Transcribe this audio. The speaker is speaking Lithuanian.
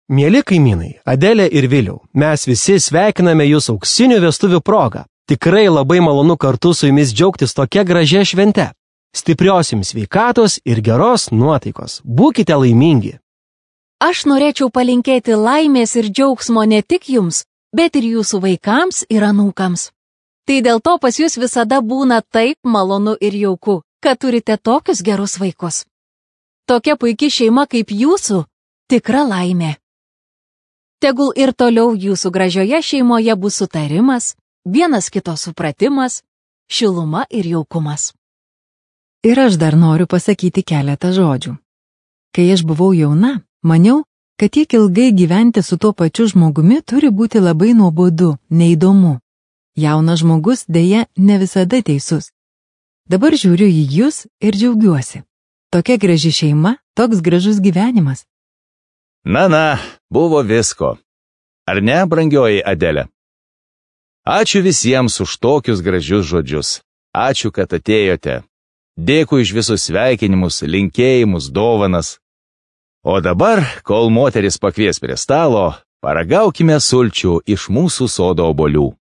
Mieli kaimynai, Adelė ir Viliau, mes visi sveikiname jūs auksinių vestuvių progą. Tikrai labai malonu kartu su jumis džiaugtis tokia gražia švente. Stiprios jums sveikatos ir geros nuotaikos. Būkite laimingi. Aš norėčiau palinkėti laimės ir džiaugsmo ne tik jums, bet ir jūsų vaikams ir anūkams. Tai dėl to pas jūs visada būna taip malonu ir jauku, kad turite tokius gerus vaikus. Tokia puiki šeima kaip jūsų – tikra laimė. Tegul ir toliau jūsų gražioje šeimoje bus sutarimas, vienas kito supratimas, šiluma ir jaukumas. Ir aš dar noriu pasakyti keletą žodžių. Kai aš buvau jauna, maniau, kad tiek ilgai gyventi su tuo pačiu žmogumi turi būti labai nuobodu, neįdomu. Jaunas žmogus dėja ne visada teisus. Dabar žiūriu į jūs ir džiaugiuosi. Tokia graži šeima, toks gražus gyvenimas. Na, buvo visko. Ar ne, brangioji Adelė? Ačiū visiems už tokius gražius žodžius. Ačiū, kad atėjote. Dėkui už visus sveikinimus, linkėjimus, dovanas. O dabar, kol moteris pakvies prie stalo, paragaukime sulčių iš mūsų sodo obuolių.